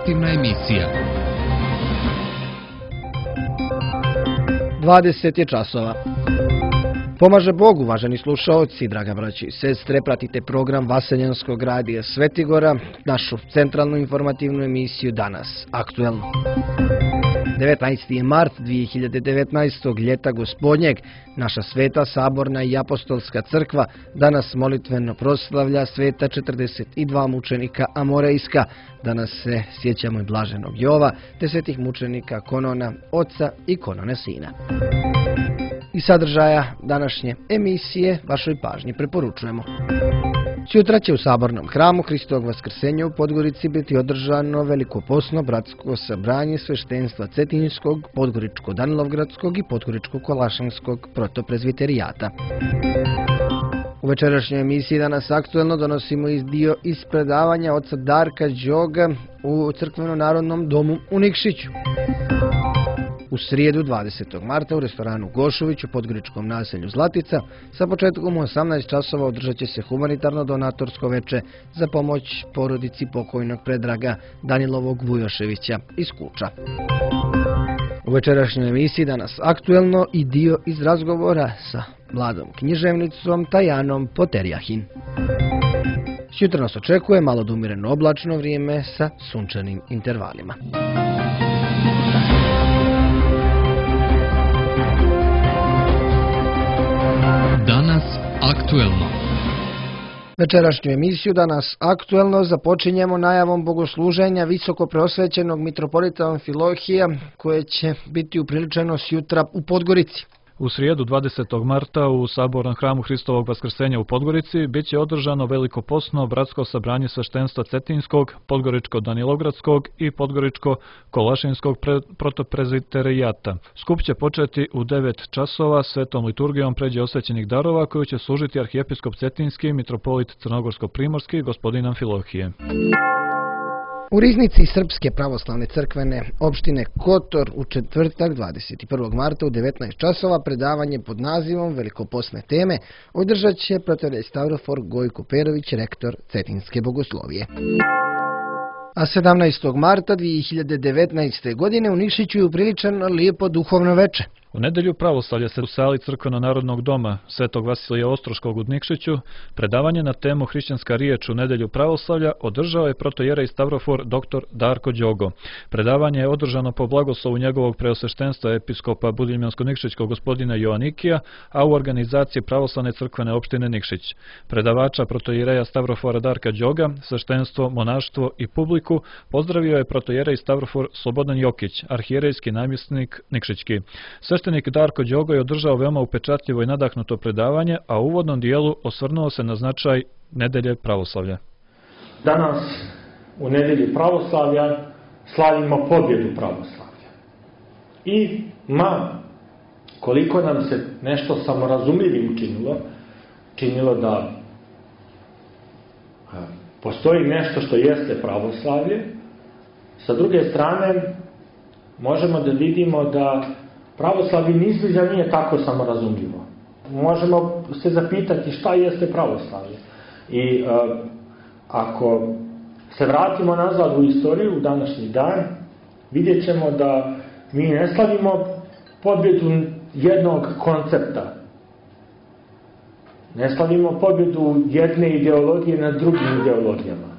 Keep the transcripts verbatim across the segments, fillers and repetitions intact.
informativna emisija. dvadeset je časova. Pomaže Bog, uvaženi slušaoci, draga braći i sestre, pratite program Vaseljenskog radija Svetigora, našu centralnu informativnu emisiju Danas, aktuelno. devetnaesti je mart dvije hiljade devetnaestog. ljeta gospodnjeg. Naša sveta saborna i apostolska crkva danas molitveno proslavlja sveta četrdeset dva mučenika amorejska. Danas se sjećamo i blaženog Jova, te svetih mučenika Konona, oca i Konone sina. I sadržaja današnje emisije vašoj pažnji preporučujemo. Sutra će u Sabornom hramu Hristovog Vaskrsenja u Podgorici biti održano velikoposno bratsko sabranje sveštenstva Cetinjskog, Podgoričko-Danilovgradskog i Podgoričko-Kolašanskog protoprezviterijata. U večerašnjoj emisiji Danas aktuelno donosimo iz dio iz predavanja oca Darka Đoga u Crkveno-narodnom domu u Nikšiću. U srijedu dvadesetog marta u restoranu Gošović u podgoričkom naselju Zlatica sa početkom u osamnaest časova održat će se humanitarno donatorsko veče za pomoć porodici pokojnog Predraga Danilovog Vujoševića iz Kuča. U večerašnjoj emisiji Danas aktuelno i dio iz razgovora sa mladom književnicom Tajanom Poterjahin. Sutra nas očekuje malo umireno oblačno vrijeme sa sunčanim intervalima. Danas aktuelno. Večerašnju emisiju Danas aktuelno započinjemo najavom bogosluženja visoko preosvećenog mitropolita Amfilohija koje će biti upriličeno sutra u Podgorici. U srijedu dvadesetog marta u Sabornom hramu Hristovog Vaskrsenja u Podgorici bit će održano velikoposno bratsko sabranje sveštenstva Cetinjskog, Podgoričko-Danilovgradskog i Podgoričko-Kolašinskog protoprezviterijata. Skup će početi u devet časova svetom liturgijom pređe osvećenih darova koju će služiti arhijepiskop Cetinjski, mitropolit Crnogorsko-Primorski, gospodin Amfilohije. U riznici Srpske pravoslavne crkvene opštine Kotor u četvrtak dvadeset prvog marta u devetnaest časova predavanje pod nazivom Velikoposne teme održat će protorej Stavrofor Gojko Perović, rektor Cetinjske bogoslovije. A sedamnaestog marta dvije hiljade devetnaeste. godine u Nikšiću je upriličeno lijepo duhovno veče. U nedjelju pravoslavlja se u sali Crkveno-narodnog doma Svetog Vasilija Ostroškog u Nikšiću predavanje na temu Hrišćanska riječ u nedjelju pravoslavlja održao je protojerej Stavrofor dr. Darko Đogo. Predavanje je održano po blagoslovu njegovog preosveštenstva episkopa Budimljansko-Nikšićkog gospodina Joanikija, a u organizaciji pravoslavne crkvene opštine Nikšić. Predavača protojereja Stavrofora Darka Đoga, sveštenstvo, monaštvo i publiku pozdravio je protojerej Stavrofor Slobodan Jokić, arhijerejski namjesnik Nikšićki. Sveštenik Darko Đogo je održao veoma upečatljivo i nadahnuto predavanje, a u uvodnom dijelu osvrnuo se na značaj nedelje pravoslavlja. Danas u nedelji pravoslavlja slavimo pobjedu pravoslavlja. I ma koliko nam se nešto samorazumljivim činilo, činilo da postoji nešto što jeste pravoslavlje, sa druge strane možemo da vidimo da pravoslavlje izbliza nije tako samorazumljivo. Možemo se zapitati šta jeste pravoslavlje. I uh, ako se vratimo nazad u istoriju, u današnji dan, vidjet ćemo da mi ne slavimo pobjedu jednog koncepta. Ne slavimo pobjedu jedne ideologije nad drugim ideologijama.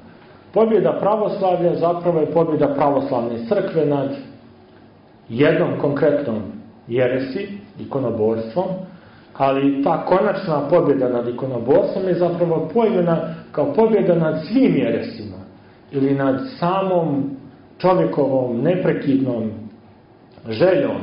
Pobjeda pravoslavlja zapravo je pobjeda pravoslavne crkve nad jednom konkretnom jeresi, ikonoborstvom, ali ta konačna pobjeda nad ikonoborstvom je zapravo pojmena kao pobjeda nad svim jeresima ili nad samom čovjekovom neprekidnom željom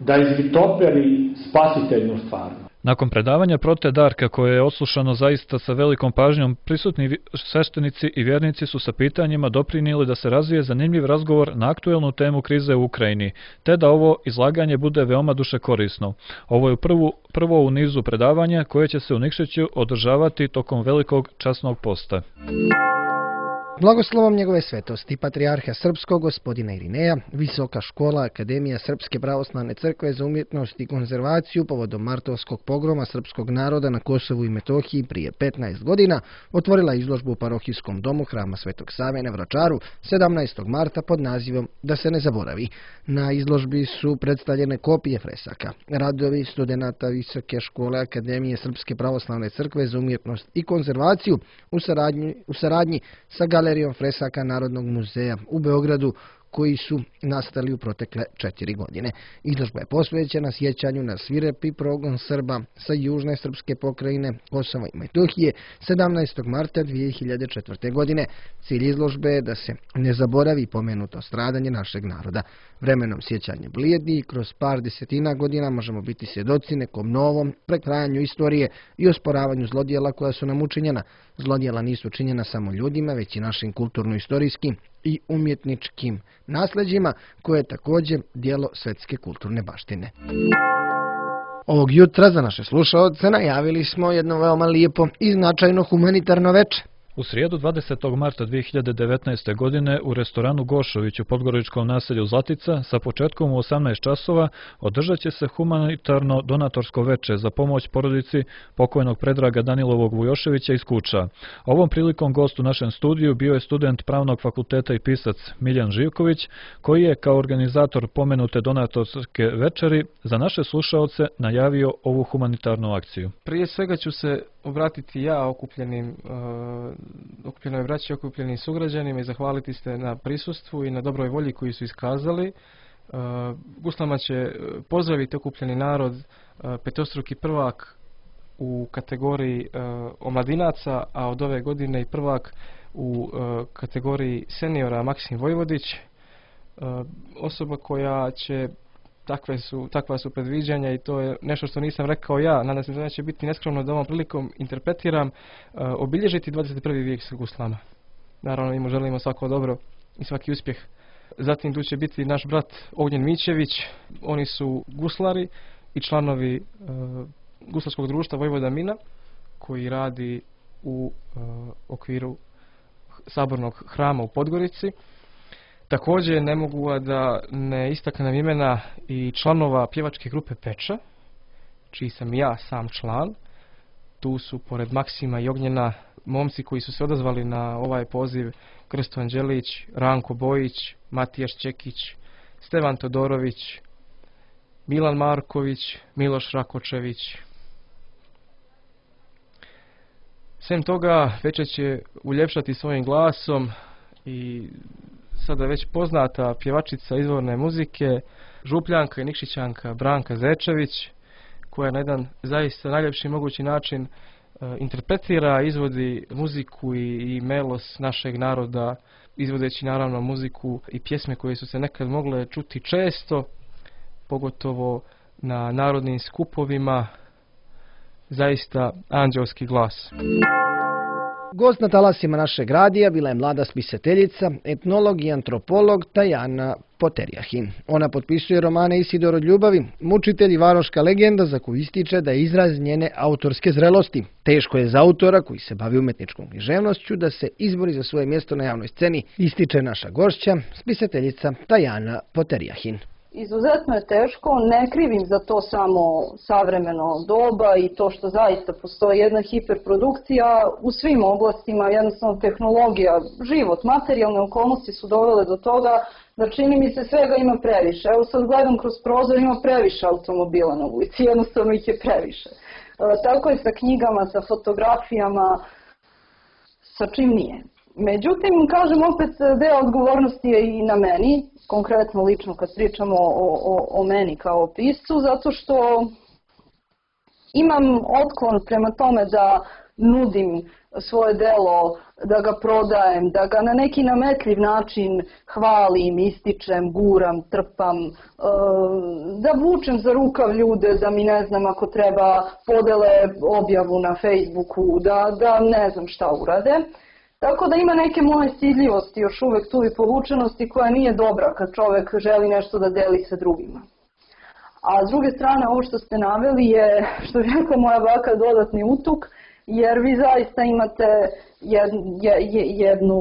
da izvitoperi spasiteljnu stvarnost. Nakon predavanja prote Darka, koje je oslušano zaista sa velikom pažnjom, prisutni sveštenici i vjernici su sa pitanjima doprinijeli da se razvije zanimljiv razgovor na aktuelnu temu krize u Ukrajini, te da ovo izlaganje bude veoma dušekorisno. Ovo je prvu, prvo u nizu predavanja koje će se u Nikšiću održavati tokom velikog časnog posta. Blagoslovom njegove svetosti, patrijarha srpskog gospodina Irineja, Visoka škola Akademija Srpske pravoslavne crkve za umjetnost i konzervaciju povodom martovskog pogroma srpskog naroda na Kosovu i Metohiji prije petnaest godina otvorila izložbu u parohijskom domu Hrama Svetog Save na Vračaru sedamnaestog marta pod nazivom Da se ne zaboravi. Na izložbi su predstavljene kopije fresaka, radovi studenata Visoke škole Akademije Srpske pravoslavne crkve za umjetnost i konzervaciju u saradnji, u saradnji sa Galerijom fresaka Narodnog muzeja u Beogradu, koji su nastali u protekle četiri godine. Izložba je posvećena sjećanju na svirepi progon Srba sa južne srpske pokrajine Kosova i Metohije sedamnaestog marta dvije hiljade četvrte. godine. Cilj izložbe je da se ne zaboravi pomenuto stradanje našeg naroda. Vremenom sjećanje blijedi i kroz par desetina godina možemo biti svjedoci nekom novom prekrajanju istorije i osporavanju zlodjela koja su nam učinjena. Zlodjela nisu činjena samo ljudima, već i našim kulturno-istorijskim i umjetničkim nasljeđima, koje je također dijelo svjetske kulturne baštine. Ovog jutra za naše slušaoce najavili smo jedno veoma lijepo i značajno humanitarno veče. U srijedu dvadesetog marta dvije hiljade devetnaeste. godine u restoranu Gošović u podgoričkom naselju Zlatica sa početkom u osamnaest časova održat će se humanitarno donatorsko veče za pomoć porodici pokojnog Predraga Danilovog Vujoševića iz Kuča. Ovom prilikom gost u našem studiju bio je student Pravnog fakulteta i pisac Miljan Živković, koji je kao organizator pomenute donatorske večeri za naše slušaoce najavio ovu humanitarnu akciju. Prije svega ću se obratiti ja okupljenim uh, okupljenoj braći, okupljenim sugrađanima i zahvaliti se na prisustvu i na dobroj volji koju su iskazali. Uh, Guslama će pozdraviti okupljeni narod uh, petostruki prvak u kategoriji uh, omladinaca, a od ove godine i prvak u uh, kategoriji seniora Maksim Vojvodić, uh, osoba koja će Takve su, takva su predviđanja i to je nešto što nisam rekao ja. Nadam se da neće biti neskromno da ovom prilikom interpretiram, uh, obilježiti dvadeset prvi vijek sa guslama. Naravno, im želimo svako dobro i svaki uspjeh. Zatim tu će biti naš brat Ognjen Mićević. Oni su guslari i članovi uh, guslarskog društva Vojvoda Mina, koji radi u uh, okviru sabornog hrama u Podgorici. Također ne mogu da ne istaknem imena i članova pjevačke grupe Peča, čiji sam ja sam član. Tu su pored Maksima i Ognjena momci koji su se odazvali na ovaj poziv: Krsto Anđelić, Ranko Bojić, Matijaš Čekić, Stevan Todorović, Milan Marković, Miloš Rakočević. Sem toga večer će uljepšati svojim glasom i sada već poznata pjevačica izvorne muzike, župljanka i nikšićanka Branka Zečević, koja na jedan zaista najljepši mogući način uh, interpretira, izvodi muziku i, i melos našeg naroda, izvodeći naravno muziku i pjesme koje su se nekad mogle čuti često, pogotovo na narodnim skupovima. Zaista anđelski glas. Gost na talasima našeg radija bila je mlada spisateljica, etnolog i antropolog Tajana Poterjahin. Ona potpisuje romane Isidor od ljubavi, mučitelj i varoška legenda, za koju ističe da je izraz njene autorske zrelosti. Teško je za autora koji se bavi umetničkom književnošću da se izbori za svoje mjesto na javnoj sceni, ističe naša gošća, spisateljica Tajana Poterjahin. Izuzetno je teško, ne krivim za to samo savremeno doba i to što zaista postoji jedna hiperprodukcija u svim oblastima, jednostavno tehnologija, život, materijalne okolnosti su dovele do toga da čini mi se svega ima previše. Evo sad gledam kroz prozor, ima previše automobila na ulici, jednostavno ih je previše. E, tako je sa knjigama, sa fotografijama, sa čim nije. Međutim, kažem opet, deo odgovornosti je i na meni, konkretno lično kad pričamo o, o, o meni kao piscu, zato što imam otklon prema tome da nudim svoje delo, da ga prodajem, da ga na neki nametljiv način hvalim, ističem, guram, trpam, da vučem za rukav ljude, da mi ne znam ako treba podele objavu na Facebooku, da, da ne znam šta urade. Tako da ima neke moje stidljivosti još uvek tu i povučenosti koja nije dobra kad čovek želi nešto da deli sa drugima. A s druge strane, ovo što ste naveli je, što je rekla moja baka, dodatni utuk, jer vi zaista imate jednu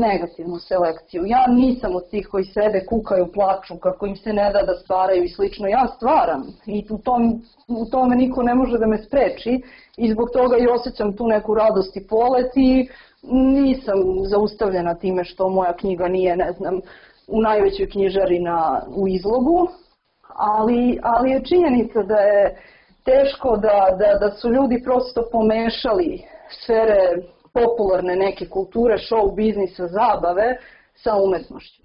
negativnu selekciju. Ja nisam od tih koji sebe kukaju, plaču, kako im se ne da da stvaraju i slično. Ja stvaram i u, tom, u tome niko ne može da me spreči i zbog toga i osjećam tu neku radost i polet i nisam zaustavljena time što moja knjiga nije, ne znam, u najvećoj knjižari na, u izlogu, ali, ali je činjenica da je teško da, da, da su ljudi prosto pomešali sfere popularne neke kulture, show biznisa, zabave sa umetnošću.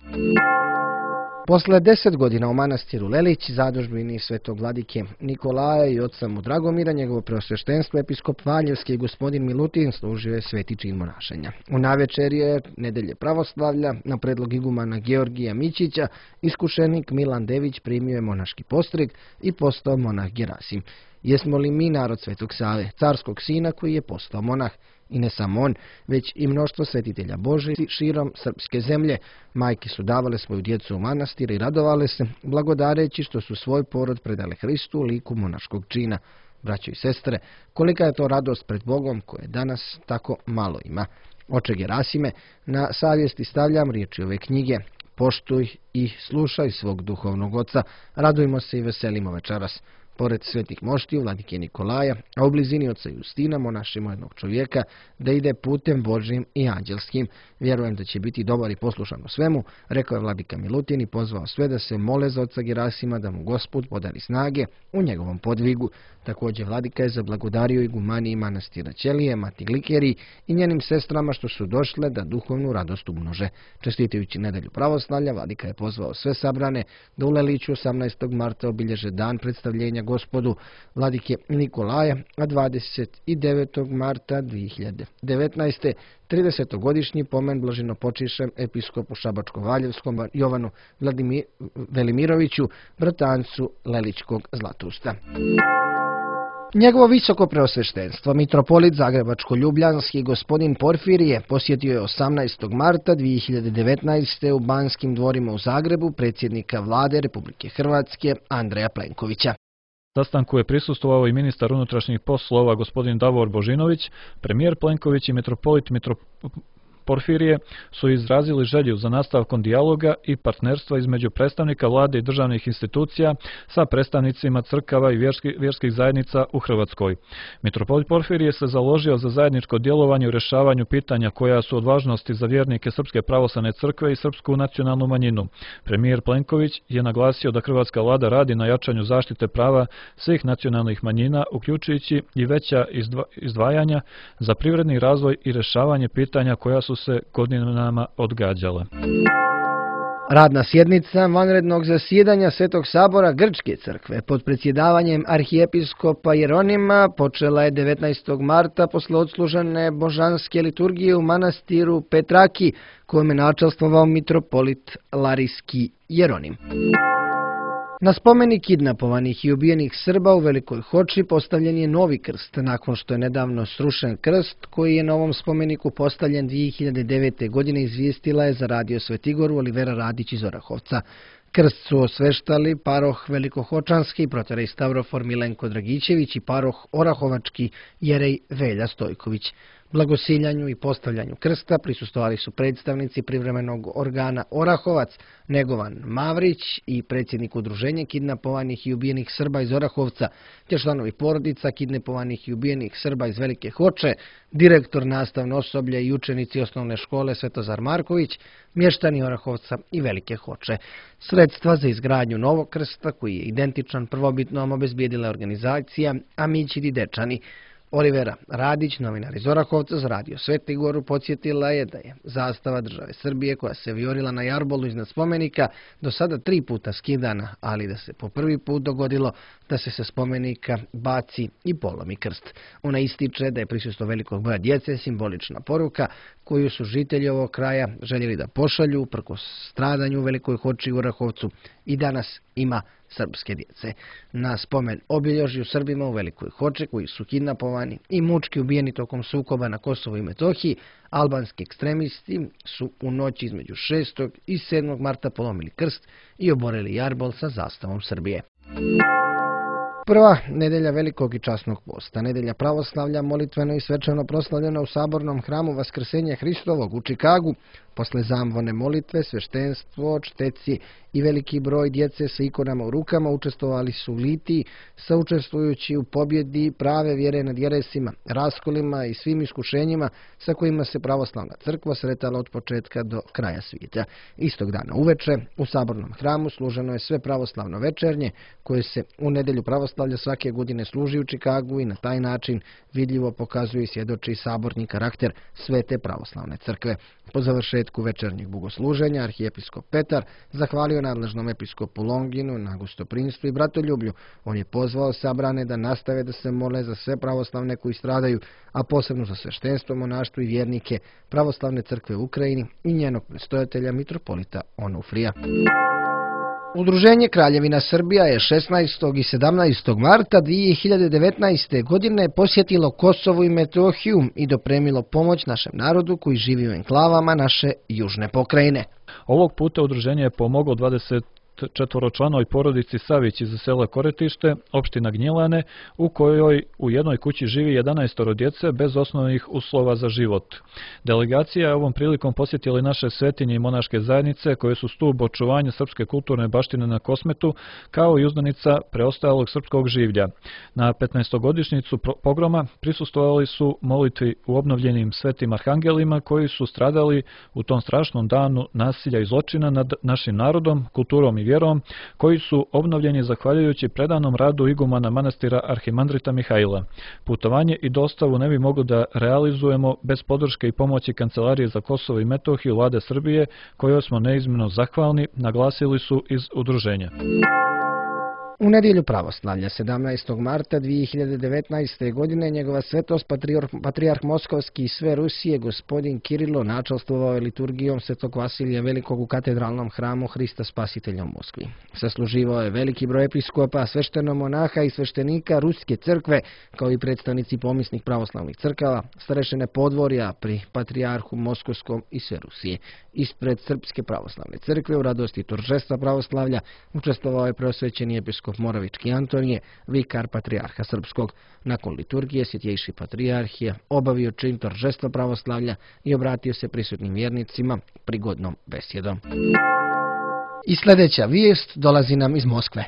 Posle deset godina u manastiru Lelić, zadužbini svetog vladike Nikolaja i oca mu Dragomira, njegovo preosveštenstvo, episkop Valjevski i gospodin Milutin služio je sveti čin monašenja. U navečerje nedelje pravoslavlja, na predlog igumana Georgija Mićića, iskušenik Milan Dević primio je monaški postrig i postao monah Gerasim. Jesmo li mi narod Svetog Save, carskog sina koji je postao monah? I ne samo on, već i mnoštvo svetitelja Božji širom srpske zemlje. Majke su davale svoju djecu u manastir i radovale se, blagodareći što su svoj porod predale Hristu u liku monaškog čina. Braćo i sestre, kolika je to radost pred Bogom koje danas tako malo ima. Oče Gerasime, na savjesti stavljam riječi ove knjige. Poštuj i slušaj svog duhovnog oca, radujmo se i veselimo večeras. Pored svetih moštiju, vladike Nikolaja, a u blizini oca Justina monašimo jednog čovjeka da ide putem Božjim i anđelskim. Vjerujem da će biti dobar i poslušan u svemu, rekao je vladika Milutin i pozvao sve da se mole za oca Gerasima da mu Gospod podari snage u njegovom podvigu. Također vladika je zablagodario igumaniji manastira Ćelije, Mati Glikeri i njenim sestrama što su došle da duhovnu radost umnože. Čestitajući nedelju pravoslavlja, vladika je pozvao sve sabrane da u Leliću osamnaestog marta obilježe dan predstavljenja Gospodu vladike Nikolaja, a dvadeset devetog marta dvije hiljade devetnaeste. tridesetogodišnji pomen blaženopočišem episkopu Šabačko-Valjevskom Jovanu Vladimir Velimiroviću, bratancu Lelićkog Zlatusta. Njegovo visoko preosveštenstvo, mitropolit Zagrebačko-Ljubljanski gospodin Porfirije, posjetio je osamnaestog marta dvije hiljade devetnaeste. u Banskim dvorima u Zagrebu predsjednika vlade Republike Hrvatske Andreja Plenkovića. Sastanku je prisustvovao i ministar unutrašnjih poslova gospodin Davor Božinović. Premijer Plenković i mitropolit Mitro... Porfirije su izrazili želju za nastavkom dijaloga i partnerstva između predstavnika vlade i državnih institucija sa predstavnicima crkava i vjerski, vjerskih zajednica u Hrvatskoj. Mitropolit Porfirije se založio za zajedničko djelovanje u rješavanju pitanja koja su od važnosti za vjernike Srpske pravoslavne crkve i srpsku nacionalnu manjinu. Premijer Plenković je naglasio da hrvatska vlada radi na jačanju zaštite prava svih nacionalnih manjina, uključujući i veća izdvajanja za privredni razvoj i rješavanje pitanja koja su se godinama odgađale. Radna sjednica vanrednog zasjedanja Svetog sabora Grčke crkve pod predsjedavanjem arhijepiskopa Jeronima počela je devetnaestog marta posle odslužene božanske liturgije u manastiru Petraki, kojem je načelstvovao mitropolit Larijski Jeronim. Na spomenik kidnapovanih i ubijenih Srba u Velikoj Hoči postavljen je novi krst, nakon što je nedavno srušen krst koji je na ovom spomeniku postavljen dvije hiljade devete. godine, izvijestila je za radio Svetigoru Olivera Radić iz Orahovca. Krst su osveštali paroh Velikohočanski protorej Stavrofor Milenko Dragićević i paroh Orahovački jerej Velja Stojković. Blagosiljanju i postavljanju krsta prisustvovali su predstavnici privremenog organa Orahovac Negovan Mavrić i predsjednik udruženja kidnapovanih i ubijenih Srba iz Orahovca, te članovi porodica kidnapovanih i ubijenih Srba iz Velike Hoče, direktor nastavno osoblje i učenici osnovne škole Svetozar Marković, mještani Orahovca i Velike Hoče. Sredstva za izgradnju novog krsta, koji je identičan prvobitnom, obezbijedila organizacija Amićidi Dečani. Olivera Radić, novinar iz Orahovca za radio Svetigoru, podsjetila je da je zastava države Srbije koja se vijorila na jarbolu iznad spomenika do sada tri puta skidana, ali da se po prvi put dogodilo da se sa spomenika baci i polomi krst. Ona ističe da je prisustvo velikog broja djece simbolična poruka koju su žitelji ovog kraja željeli da pošalju uprkos stradanju u Velikoj Hoči u Orahovcu i danas ima srpske djece. Na spomen obilježju Srbima u Velikoj Hoči koji su kidnapovani i mučki ubijeni tokom sukoba na Kosovu i Metohiji, albanski ekstremisti su u noći između šestog i sedmog marta polomili krst i oborili jarbol sa zastavom Srbije. Prva nedelja velikog i časnog posta, nedelja pravoslavlja, molitveno i svečano proslavljena u sabornom hramu Vaskrsenja Hristovog u Čikagu. Posle zamvone molitve, sveštenstvo, čteci i veliki broj djece sa ikonama u rukama učestvovali su u litiji, saučestvujući u pobjedi prave vjere nad jeresima, raskolima i svim iskušenjima sa kojima se pravoslavna crkva sretala od početka do kraja svijeta. Istog dana uveče u sabornom hramu služeno je sve pravoslavno večernje, koje se u nedelju pravoslavlja svake godine služi u Čikagu i na taj način vidljivo pokazuje i svjedoči saborni karakter svete pravoslavne crkve. Po završetku večernjeg bogosluženja arhijepiskop Petar zahvalio nadležnom episkopu Longinu na gostoprimstvu i bratoljublju. On je pozvao sabrane da nastave da se mole za sve pravoslavne koji stradaju, a posebno za sveštenstvo, monaštvo i vjernike pravoslavne crkve u Ukrajini i njenog predstojatelja mitropolita Onufrija. Udruženje Kraljevina Srbija je šesnaestog i sedamnaestog marta dvije hiljade devetnaeste. godine posjetilo Kosovo i Metohiju i dopremilo pomoć našem narodu koji živi u enklavama naše južne pokrajine. Ovog puta udruženje je pomoglo dvadeset četvoročlanoj porodici Savić iz sela Koretište, opština Gnjilane, u kojoj u jednoj kući živi jedanaestoro djece bez osnovnih uslova za život. Delegacija je ovom prilikom posjetila naše svetinje i monaške zajednice koje su stub očuvanja srpske kulturne baštine na Kosmetu, kao i uzdanica preostalog srpskog življa. Na petnaestogodišnjicu pogroma prisustvovali su molitvi u obnovljenim svetim arhangelima koji su stradali u tom strašnom danu nasilja i zločina nad našim narodom, kulturom i vjerom, koji su obnovljeni zahvaljujući predanom radu igumana manastira Arhimandrita Mihajla. Putovanje i dostavu ne bi mogli da realizujemo bez podrške i pomoći Kancelarije za Kosovo i Metohiju Vlade Srbije, kojoj smo neizmjerno zahvalni, naglasili su iz udruženja. U nedjelju pravoslavlja sedamnaestog marta dvije hiljade devetnaeste. godine njegova svetost patrijarh Moskovski i sve Rusije gospodin Kirilo načalstvovao je liturgijom Svetog Vasilija Velikog u katedralnom hramu Hrista Spasitelja u Moskvi. Sasluživao je veliki broj episkopa, sveštenomonaha i sveštenika Ruske crkve, kao i predstavnici pomisnih pravoslavnih crkava, starešine podvorja pri patrijarhu Moskovskom i sve Rusije. Ispred Srpske pravoslavne crkve u radosti торжества pravoslavlja učestvovao je preosvećeni episkop Moravički Antonije, vikar patrijarha Srpskog. Nakon liturgije Svjetjejši patrijarh je obavio čin торжества pravoslavlja i obratio se prisutnim vjernicima prigodnom besjedom. I sljedeća vijest dolazi nam iz Moskve.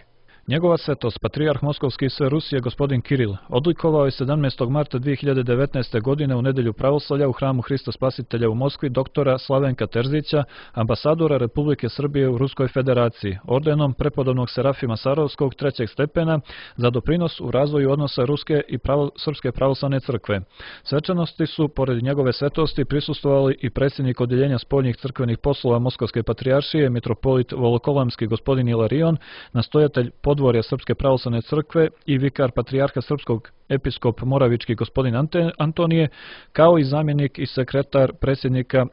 Njegova svetost, patrijarh Moskovski i sve Rusije, gospodin Kiril, odlikovao je sedamnaestog marta dvije hiljade devetnaeste. godine u nedelju pravoslavlja u hramu Hrista Spasitelja u Moskvi doktora Slavenka Terzića, ambasadora Republike Srbije u Ruskoj federaciji, ordenom prepodobnog Serafima Sarovskog trećeg stepena za doprinos u razvoju odnosa Ruske i pravo, Srpske pravoslavne crkve. Svečanosti su, pored njegove svetosti, prisustvovali i predsjednik odjeljenja spoljnih crkvenih poslova Moskovske patrijaršije, mitropolit Volokolamski gospodin Ilarion, nastojatelj podvorja Srpske pravoslavne crkve i vikar patrijarha Srpskog episkop Moravički gospodin Antonije, kao i zamjenik i sekretar predsjednika e,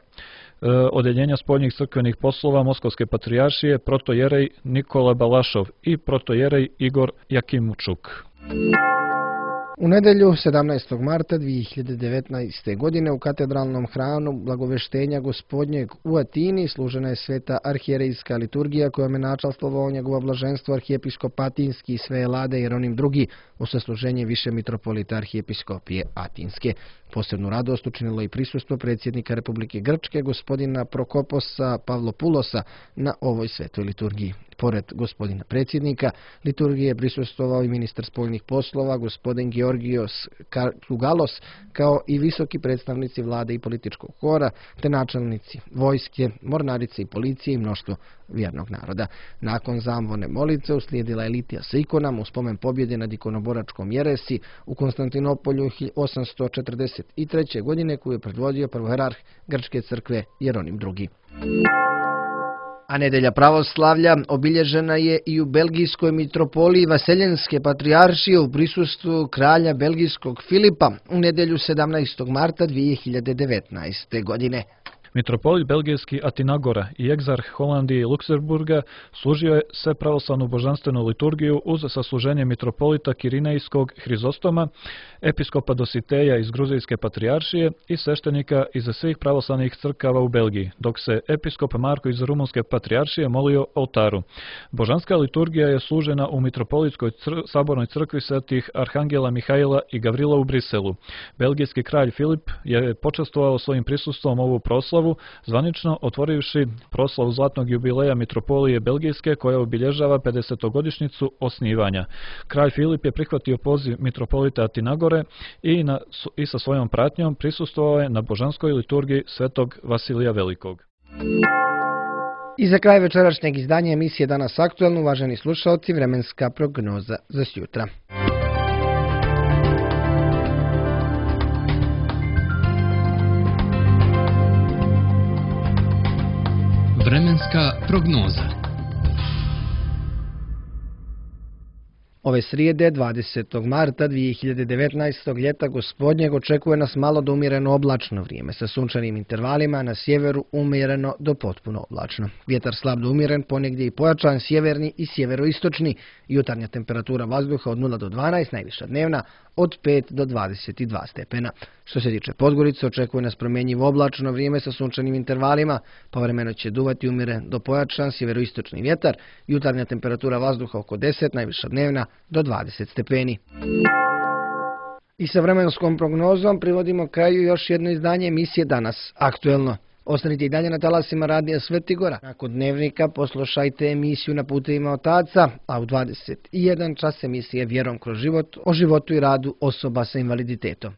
odjeljenja spoljnih crkvenih poslova Moskovske patrijaršije, protojerej Nikola Balašov i protojerej Igor Jakimučuk. U nedjelju sedamnaestog marta dvije hiljade devetnaeste. godine u katedralnom hramu Blagoveštenja Gospodnjeg u Atini služena je sveta arhijerejska liturgija kojom je načalstvovao njegovo blaženstvo arhijepiskop Atinski i sve Elade Jeronim drugi u sasluženje više mitropolita arhijepiskopije Atinske. Posebnu radost učinilo i prisustvo predsjednika Republike Grčke gospodina Prokoposa Pavlopulosa na ovoj svetoj liturgiji. Pored gospodina predsjednika, liturgije je prisustvovao i ministar spoljnih poslova, gospodin Georgios Kartugalos, kao i visoki predstavnici vlade i političkog hora, te načelnici vojske, mornarice i policije i mnoštvo vjernog naroda. Nakon zamvone molitve uslijedila je litija sa ikonama u spomen pobjede nad ikonoboračkom jeresi u Konstantinopolju osamsto četrdeset treće. godine koju je predvodio prvoherarh Grčke crkve Jeronim drugi. A nedelja pravoslavlja obilježena je i u belgijskoj mitropoliji Vaseljenske patrijaršije u prisustvu kralja belgijskog Filipa u nedelju sedamnaestog marta dvije hiljade devetnaeste. godine. Mitropolit belgijski Atinagora i egzarh Holandije i Luksemburga služio je sve pravoslavnu božanstvenu liturgiju uz sasluženje mitropolita Kirinejskog Hrizostoma, episkopa Dositeja iz Gruzijske patrijaršije i sveštenika iz svih pravoslavnih crkava u Belgiji, dok se episkop Marko iz Rumunske patrijaršije molio oltaru. Božanska liturgija je služena u mitropolitskoj cr- sabornoj crkvi svetih Arhangela Mihaila i Gavrila u Briselu. Belgijski kralj Filip je počastvovao svojim prisustvom ovu proslavu, zvanično otvorivši proslavu zlatnog jubileja mitropolije Belgijske koja obilježava pedesetogodišnjicu osnivanja. Kralj Filip je prihvatio poziv mitropolita Atinagore i, na, i sa svojom pratnjom prisustvovao je na božanskoj liturgiji svetog Vasilija Velikog. I za kraj večerašnjeg izdanja emisije Danas aktuelno, uvaženi slušalci, vremenska prognoza za sjutra. Vremenska prognoza. Ove srijede, dvadesetog marta dvije hiljade devetnaestog ljeta gospodnjeg, očekuje nas malo do umjereno oblačno vrijeme, sa sunčanim intervalima, na sjeveru umjereno do potpuno oblačno. Vjetar slab do umjeren, ponegdje i pojačan, sjeverni i sjeveroistočni, jutarnja temperatura vazduha od nula do dvanaest, najviša dnevna od pet do dvadeset dva stepena. Što se tiče Podgorice, očekuje nas promjenjivo oblačno vrijeme sa sunčanim intervalima, povremeno će duvati umjeren do pojačan sjeveroistočni vjetar, jutarnja temperatura vazduha oko deset, najviša dnevna do dvadeset stepeni. I sa vremenskom prognozom privodimo kraju još jedno izdanje emisije Danas aktuelno. Ostanite i dalje na talasima radija Sveti Gora. Nakon dnevnika poslušajte emisiju Na putevima otaca, a u dvadeset jedan čas emisije Vjerom kroz život o životu i radu osoba sa invaliditetom.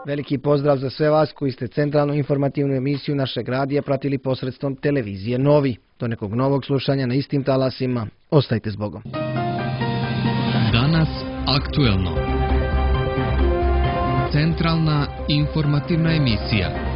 Veliki pozdrav za sve vas koji ste centralnu informativnu emisiju našeg radija pratili posredstvom televizije Novi. Do nekog novog slušanja na istim talasima. Ostajte s Bogom. Danas aktuelno. Centralna informativna emisija.